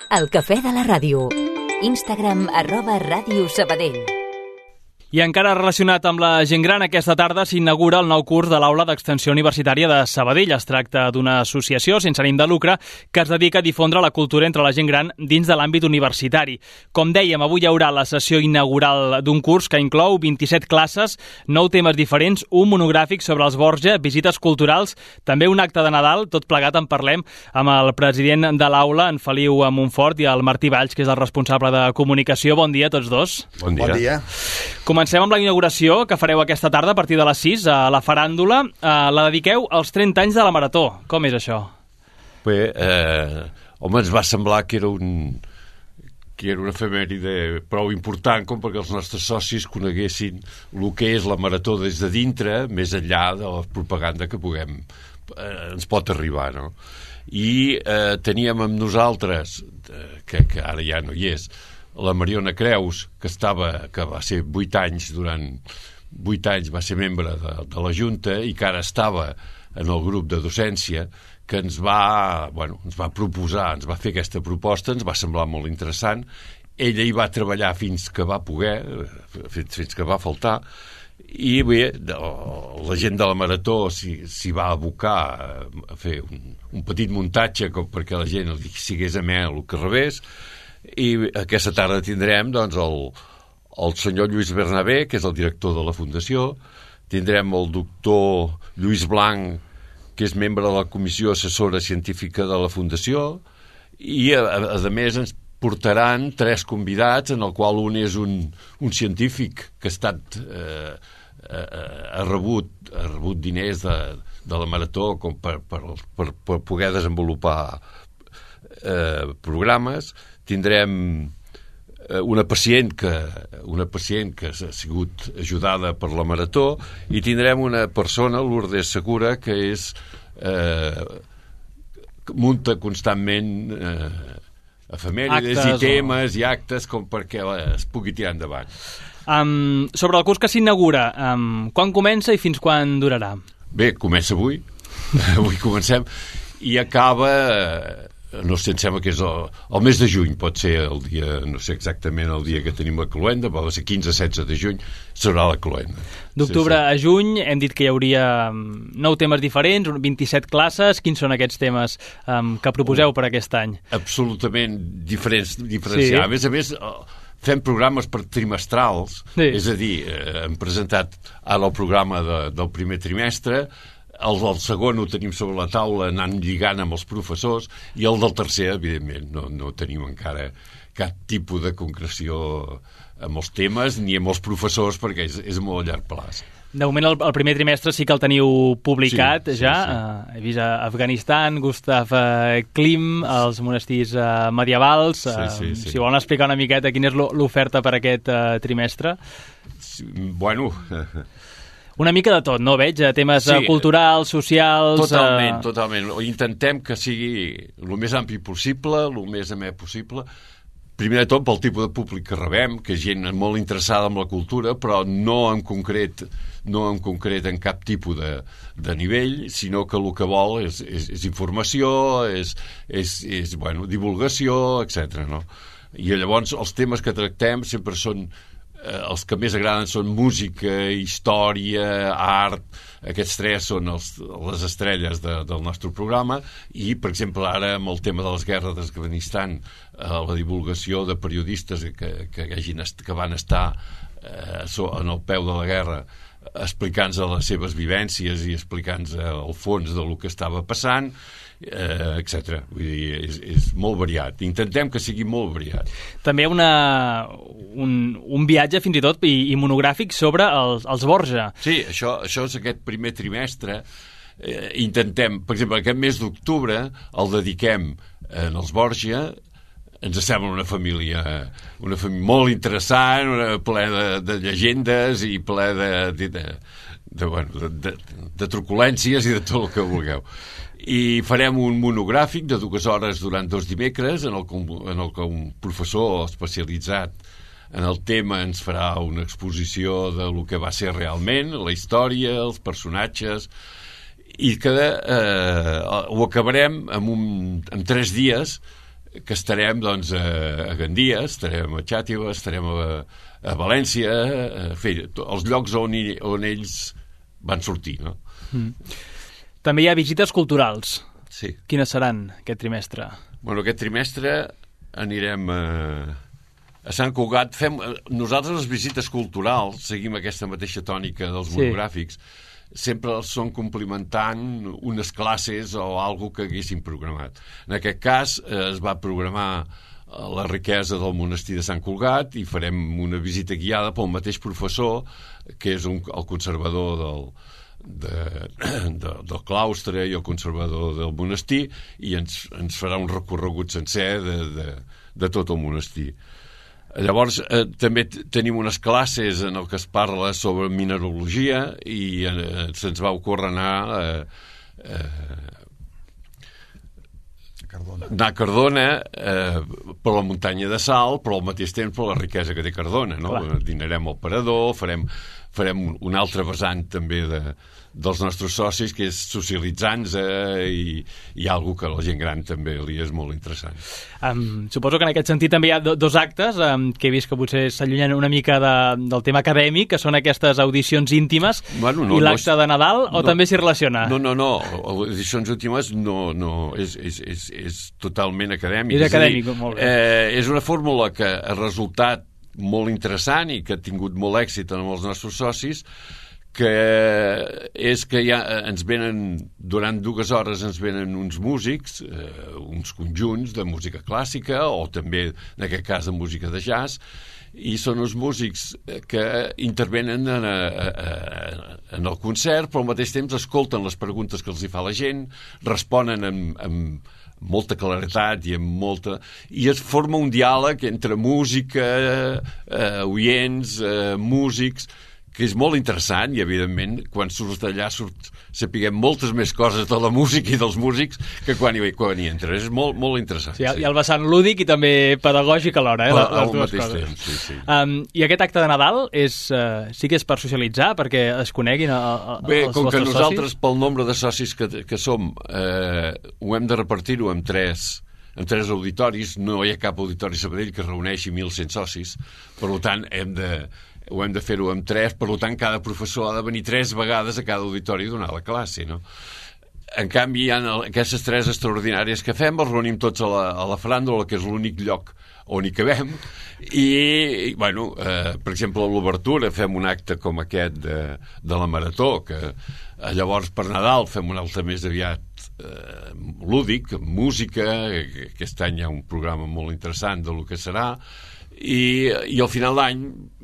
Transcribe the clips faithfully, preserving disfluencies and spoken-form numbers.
El cafè de la ràdio. Instagram arroba Ràdio Sabadell. I encara relacionat amb la gent gran, aquesta tarda s'inaugura el nou curs de l'Aula d'Extensió Universitària de Sabadell. Es tracta d'una associació sense ànim de lucre que es dedica a difondre la cultura entre la gent gran dins de l'àmbit universitari. Com dèiem, avui hi haurà la sessió inaugural d'un curs que inclou vint-i-set classes, nou temes diferents, un monogràfic sobre els Borja, visites culturals, també un acte de Nadal. Tot plegat en parlem amb el president de l'aula, en Feliu Montfort, i el Martí Valls, que és el responsable de comunicació. Bon dia a tots dos. Bon dia. Bon dia. Comencem amb la inauguració que fareu aquesta tarda a partir de les sis a la faràndula. Eh, la dediqueu als trenta anys de la Marató. Com és això? Bé, eh, home, ens va semblar que era un que era una efemèride prou important com perquè els nostres socis coneguessin el que és la Marató des de dintre, més enllà de la propaganda que puguem eh, ens pot arribar, no? I eh, teníem amb nosaltres, eh, que, que ara ja no hi és, la Mariona Creus, que estava que va ser vuit anys, durant vuit anys va ser membre de, de la Junta i que ara estava en el grup de docència, que ens va, bueno, ens va proposar, ens va fer aquesta proposta, ens va semblar molt interessant. Ella hi va treballar fins que va poder, fins, fins que va faltar, i bé, la gent de la Marató s'hi va abocar a fer un, un petit muntatge com perquè la gent li sigués amè el que rebés. I aquesta tarda tindrem doncs, el, el senyor Lluís Bernabé, que és el director de la Fundació, tindrem el doctor Lluís Blanc, que és membre de la Comissió Assessora Científica de la Fundació, i a, a, a més ens portaran tres convidats, en el qual un és un, un científic que ha estat eh, ha rebut, ha rebut diners de, de la Marató com per, per, per, per poder desenvolupar eh, programes. Tindrem una pacient que una pacient que ha sigut ajudada per la Marató, i tindrem una persona, Lourdes Segura, que és eh, munta constantment eh, efemèrides i temes o... i actes com perquè es pugui tirar endavant. Um, sobre el curs que s'inaugura, um, quan comença i fins quan durarà? Bé, comença avui. Avui comencem i acaba... no sé, em sembla que és el, el mes de juny, pot ser el dia, no sé exactament el dia que tenim la cloenda, pot ser quinze a setze de juny, serà la cloenda. D'octubre sí, sí. a juny hem dit que hi hauria nou temes diferents, vint-i-set classes. Quins són aquests temes um, que proposeu per aquest any? Absolutament diferents, diferenciats. Sí. A més a més, fem programes per trimestrals, sí. És a dir, eh, hem presentat ara el programa de, del primer trimestre. El del segon ho tenim sobre la taula, anant lligant amb els professors, i el del tercer, evidentment, no, no tenim encara cap tipus de concreció amb els temes ni amb els professors, perquè és, és molt a llarg plaç. De moment, el, el primer trimestre sí que el teniu publicat, sí, ja. Sí, sí. Uh, he vist a Afganistan, Gustav uh, Klim, els monestirs uh, medievals. Uh, sí, sí, sí. Si volen explicar una miqueta quina és l'oferta per aquest uh, trimestre. Sí, bueno... Una mica de tot, no? Veig temes sí, culturals, socials... Totalment, uh... totalment. Intentem que sigui el més ampli possible, el més amè possible. Primer de tot pel tipus de públic que rebem, que és gent molt interessada en la cultura, però no en concret, no en concret en cap tipus de, de nivell, sinó que el que vol és, és, és informació, és, és, és bueno, divulgació, etcètera. No? I llavors els temes que tractem sempre són... Eh, els que més agraden són música, història, art. Aquests tres són els, les estrelles de, del nostre programa, i per exemple ara amb el tema de les guerres d'Afganistan, eh, la divulgació de periodistes que, que, hagin est- que van estar eh, en el peu de la guerra explicant-nos les seves vivències i explicant-nos el fons del que estava passant, eh, etcètera. Vull dir, és, és molt variat. Intentem que sigui molt variat. També una, un, un viatge fins i tot i, i monogràfic sobre els, els Borja. Sí, això, això és aquest primer trimestre. Eh, intentem, per exemple, aquest mes d'octubre el dediquem en els Borja. Ens sembla una família, una família molt interessant, una, ple de, de llegendes i ple de, de, de, de, bueno, de, de, de truculències i de tot el que vulgueu. I farem un monogràfic de dues hores durant dos dimecres en el, en el que un professor especialitzat en el tema ens farà una exposició de lo que va ser realment, la història, els personatges, i que eh, ho acabarem en, un, en tres dies que estarem doncs, a, a Gandia, estarem a Xàtiva, estarem a, a València, a fer els llocs on, hi, on ells van sortir, no? Mm. També hi ha visites culturals. Sí. Quines seran aquest trimestre? Bueno, aquest trimestre anirem a, a Sant Cugat. Fem, nosaltres les visites culturals seguim aquesta mateixa tònica dels sí. monogràfics. Sempre els són complementant unes classes o alguna que haguéssim programat. En aquest cas eh, es va programar la riquesa del monestir de Sant Cugat i farem una visita guiada pel mateix professor, que és un, el conservador del, de, de, del claustre i el conservador del monestir, i ens, ens farà un recorregut sencer de, de, de tot el monestir. Llavors, eh, també tenim unes classes en el que es parla sobre mineralogia i eh, se'ns va ocórrer anar eh, eh, Cardona. anar a Cardona eh, per la muntanya de Sal, però al mateix temps per la riquesa que té Cardona, no? Dinarem al Parador, farem, farem un altre vessant també de, dels nostres socis, que és socialitzar-nos eh, i, i algo que a la gent gran també li és molt interessant. Um, suposo que en aquest sentit també hi ha do, dos actes um, que he vist que potser s'allunyen una mica de, del tema acadèmic, que són aquestes audicions íntimes, bueno, no, i l'acte no és, de Nadal, o no, també s'hi relaciona? No, no, no, audicions íntimes no, no és, és, és, és totalment acadèmic. És acadèmic, és dir, molt bé. Eh, és una fórmula que ha resultat molt interessant i que ha tingut molt èxit amb els nostres socis, que és que ja ens venen, durant dues hores ens venen uns músics, eh, uns conjunts de música clàssica o també, en aquest cas, de música de jazz, i són uns músics que intervenen en, a, a, en el concert, però al mateix temps escolten les preguntes que els hi fa la gent, responen amb, amb molta claretat i amb molta... i es forma un diàleg entre música, eh, oients, eh, músics, que és molt interessant i, evidentment, quan surts d'allà surt, sapiguem moltes més coses de la música i dels músics que quan hi, quan hi entres. És molt, molt interessant. Sí, hi ha el vessant lúdic i també pedagògic alhora, eh? Per, les dues mateix coses. Temps, sí, sí. Um, I aquest acte de Nadal és, uh, sí que és per socialitzar, perquè es coneguin a, a, Bé, els com que vostres nosaltres, socis? pel nombre de socis que, que som, eh, ho hem de repartir-ho en tres en tres auditoris. No hi ha cap auditori Sabadell que reuneixi mil cent socis, per tant, hem de ho hem de fer-ho amb tres, per tant, cada professor ha de venir tres vegades a cada auditori a donar la classe, no? En canvi, hi ha aquestes tres extraordinàries que fem, els reunim tots a la, a la faràndula, que és l'únic lloc on hi cabem, i, bueno, eh, per exemple, a l'obertura fem un acte com aquest de, de la Marató, que eh, llavors per Nadal fem un altre més aviat eh, lúdic, amb música, que aquest any hi ha un programa molt interessant de lo que serà, I, i al final d'any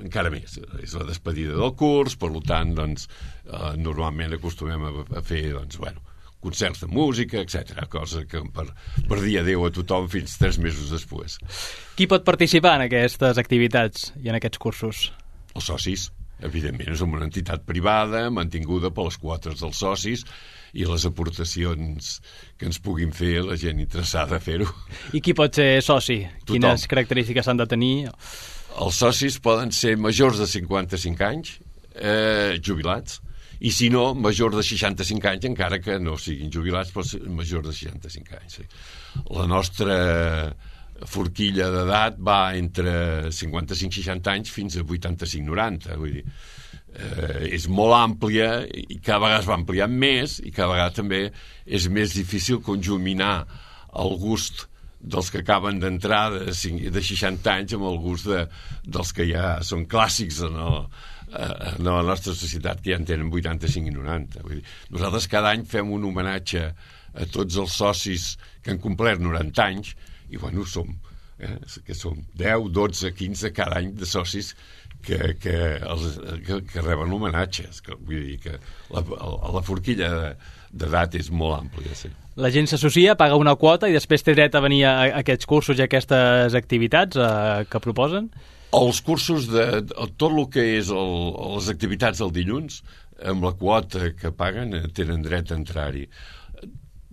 encara més, és la despedida del curs, per tant, doncs, eh, normalment acostumem a, a fer, doncs, bueno, concerts de música, etcètera, cosa que per, per dir adéu a tothom fins tres mesos després. Qui pot participar en aquestes activitats i en aquests cursos? Els socis, evidentment, som una entitat privada mantinguda per les quotes dels socis i les aportacions que ens puguin fer la gent interessada a fer-ho. I qui pot ser soci? Tothom. Quines característiques s'han de tenir? Els socis poden ser majors de cinquanta-cinc anys, eh, jubilats, i si no, majors de seixanta-cinc anys, encara que no siguin jubilats, però majors de seixanta-cinc anys. Sí. La nostra forquilla d'edat va entre cinquanta-cinc seixanta anys fins a vuitanta-cinc noranta, vull dir, eh, és molt àmplia i cada vegada es va ampliant més i cada vegada també és més difícil conjuminar el gust dels que acaben d'entrar de, de seixanta anys amb el gust de, dels que ja són clàssics en, el, en la nostra societat, que ja en tenen vuitanta-cinc i noranta. Vull dir, nosaltres cada any fem un homenatge a tots els socis que han complert noranta anys i, bueno, som, eh, que som deu, dotze, quinze cada any de socis que, que, els, que, que reben homenatges. Que, vull dir que la, la forquilla d'edat és molt àmplia, sí. La gent s'associa, paga una quota i després té dret a venir a aquests cursos i a aquestes activitats eh, que proposen? Els cursos, de, de tot el que és el, les activitats del dilluns, amb la quota que paguen, tenen dret a entrar-hi.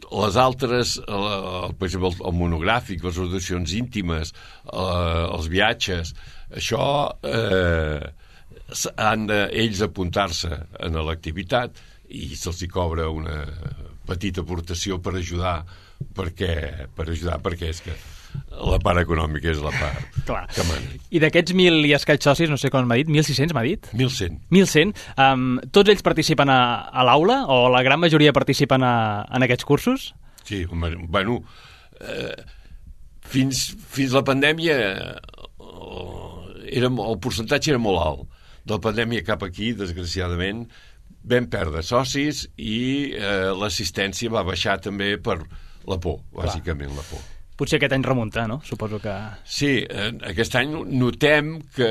Les altres, el, per exemple, el monogràfic, les audicions íntimes, eh, els viatges, això eh, han de ells apuntar-se en l'activitat i se'ls hi cobra una petita aportació per ajudar, perquè, per ajudar perquè és que la part econòmica és la part Clar. que mana. I d'aquests mil i escaig socis, no sé com m'ha dit, mil sis-cents m'ha dit? mil cent. mil cent. Um, tots ells participen a, a l'aula o la gran majoria participen a, en aquests cursos? Sí, home, bueno, eh, fins, fins la pandèmia eh, era, el percentatge era molt alt. De la pandèmia cap aquí, desgraciadament, vam perdre socis i eh, l'assistència va baixar també per la por, bàsicament la por. Potser aquest any remunta, no? Suposo que... Sí, eh, aquest any notem que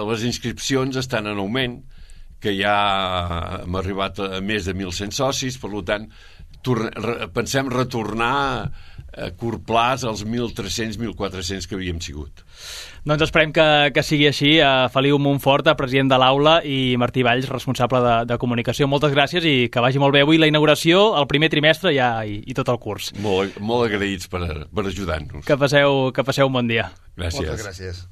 les inscripcions estan en augment, que ja hem arribat a més de mil cent socis, per tant, re, pensem retornar a curt plaç als mil tres-cents mil quatre-cents que havíem sigut. Doncs esperem que, que sigui així. Uh, Feliu Montfort, president de l'aula, i Martí Valls, responsable de, de comunicació. Moltes gràcies i que vagi molt bé avui la inauguració, el primer trimestre ja, i, i tot el curs. Molt, molt agraïts per, per ajudar-nos. Que passeu, que passeu un bon dia. Gràcies. Moltes gràcies.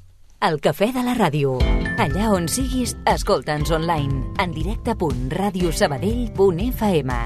El Cafè de la Ràdio. Allà on siguis, escolta'ns online. En directe punt radiosabadell punt f m.